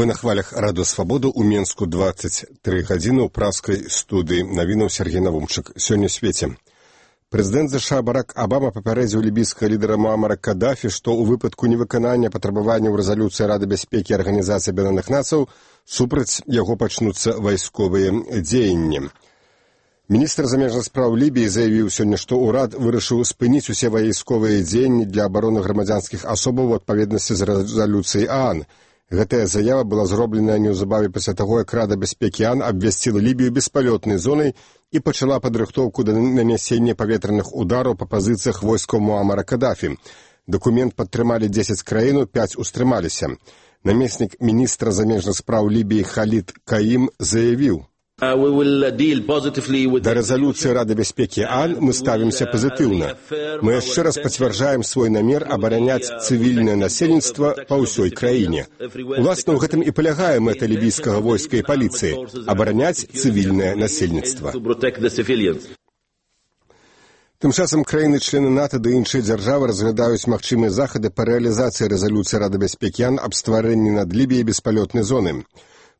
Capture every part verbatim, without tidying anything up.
Вы на хвалях Радыё Свабода ў Менску дваццаць тры гадзіны ў праскай студыі навінаў Сергей Навумчык. Сёння ў свеце. Прэзідэнт ЗША Барак Абама папярэдзіў лібійскага лідара Муамара Каддафі, што ў выпадку невыканання патрабаванняў рэзалюцыі Рады бяспекі Арганізацыі Аб'яднаных Нацый супраць яго пачнуцца вайсковыя дзеянні. Міністр замежных спраў Лібіі заявіў сёння, што ўрад вырашыў спыніць усе вайсковыя дзеянні для абароны грамадзянскіх асобаў у адпаведнасці з рэзалюцыяй ААН. Гэтая заява была зробленая неўзабаве пасля таго, як Рада бяспекі ААН абвясціла Лібію беспалётнай зонай і пачала падрыхтоўку да нанясення паветраных удараў па пазіцыях войскаў Муамара Каддафі. Дакумент падтрымалі дзесяць краін, пяць устрымаліся. Намеснік міністра замежных спраў Лібіі Халід Каім заявіў: Да рэзалюцыі Рады бяспекі ААН мы ставімся пазітыўна. Мы яшчэ раз пацвярджаем свой намер абараняць цывільнае насельніцтва па ўсёй краіне. Уласна, ў гэтым і палягае мэта лібійскага войска і паліцыі – абараняць цывільнае насельніцтва. Тым часам краіны-члены НАТО ды іншыя дзяржавы разглядаюць магчымыя захады па рэалізацыі рэзалюцыі Рады бяспекі ААН аб стварэнні над Лібіяй беспалётнай зоны.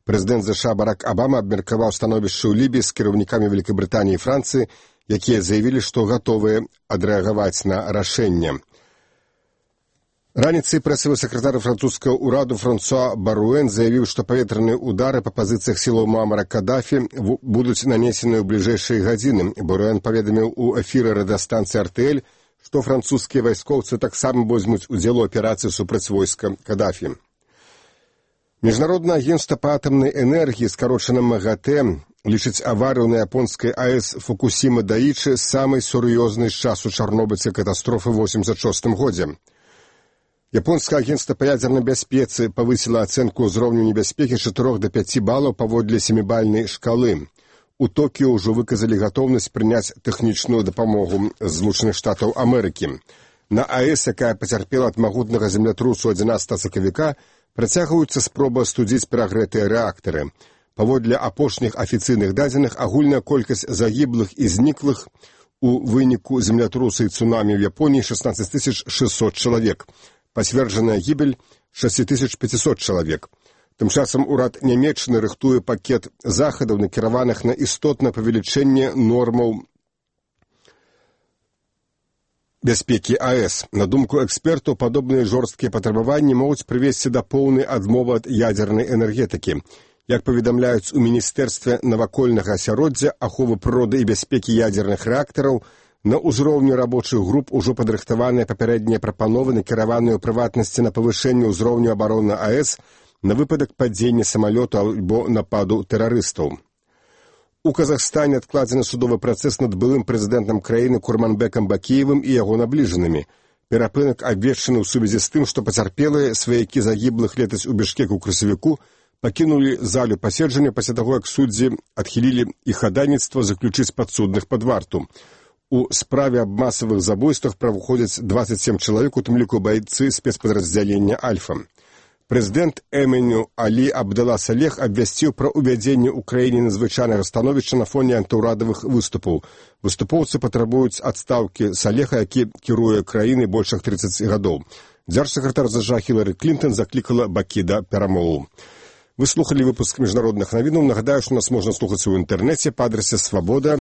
Прэзідэнт ЗША Барак Абама абмеркаваў становішча ў Лібіі з кіраўнікамі Вялікабрытаніі і Францыі, якія заявілі, што гатовыя адрэагаваць на рашэнне. Раніцай прэсавы сакратар французскага ўраду Франсуа Баруэн заявіў, што паветраныя ўдары па пазіцыях сілаў Муамара Каддафі будуць нанесены ў бліжэйшыя гадзіны. Баруэн паведаміў у эфіры радыёстанцыі эр тэ эль, што французскія вайскоўцы таксама возьмуць удзел у аперацыі супраць войска Каддафі. Міжнароднае агенцтва па атамнай энергіі, скарочана МАГАТЭ, лічыць аварыю на японскай АЭС Фукусіма-Даічы самай сур'ёзнай з часу чарнобыльскай катастрофы ў восемьдзясят шостым годзе. Японскае агенцтва па ядзернай бяспецы павысіла ацэнку ўзроўню небяспекі з чатырох да пяці балаў паводле сямібальнай шкалы. У Токіё ўжо выказалі гатоўнасць прыняць тэхнічную дапамогу з Злучаных Штатаў Амерыкі. На АЭС, якая пацярпела ад магутнага землятрусу адзінаццатага сакавіка, працягваюцца спробы астудзіць перагрэтыя рэактары. Паводле апошніх афіцыйных дадзеных, агульная колькасць загіблых і зніклых у выніку землятруса і цунамі ў Японіі шаснаццаць тысяч шэсцьсот чалавек. Пацверджаная гібель шэсць тысяч пяцьсот чалавек. Тым часам урад Нямецчыны рыхтуе пакет захадаў, накіраваных на істотнае павелічэнне нормаў бяспекі АЭС. На думку экспертаў, падобныя жорсткія патрабаванні могуць прывесці да поўнай адмовы ад ядзернай энергетыкі. Як паведамляюць у Міністэрстве навакольнага асяроддзя, аховы прыроды і бяспекі ядзерных рэактараў, на ўзроўні рабочых груп ужо падрыхтаваныя папярэднія прапановы, накіраваныя ў прыватнасці на павышэнне ўзроўню абароны АЭС на выпадак падзення самалёту або нападу тэрарыстаў. У Казахстане адкладзены судовы працэс над былым прэзідэнтам краіны Курманбекам Бакіевым і яго набліжанымі. Перапынак абвешчаны ў сувязі з тым, што пацярпелыя сваякі загіблых летась у Бішкеку ў красавіку пакінулі залю паседжання пасля таго, як суддзі адхілілі іх хадайніцтва заключыць падсудных пад варту. У справе аб масавых забойствах праваходзяць дваццаць сем чалавек, у тым ліку байцы спецпадраздзялення «Альфа». Прэзідэнт Эменю Алі Абдала Салех абвясціў пра ўвядзенне ў краіне надзвычайнага становішча на фоне антыўрадавых выступаў. Выступоўцы патрабуюць адстаўкі Салеха, які кіруе краінай больш як трыццаць гадоў. Дзяржсакратар ЗША Хілары Клінтон заклікала бакі да перамоваў. Вы слухалі выпуск міжнародных навінаў. Нагадаю, што нас можна слухаць у інтэрнэце па адрасе свабода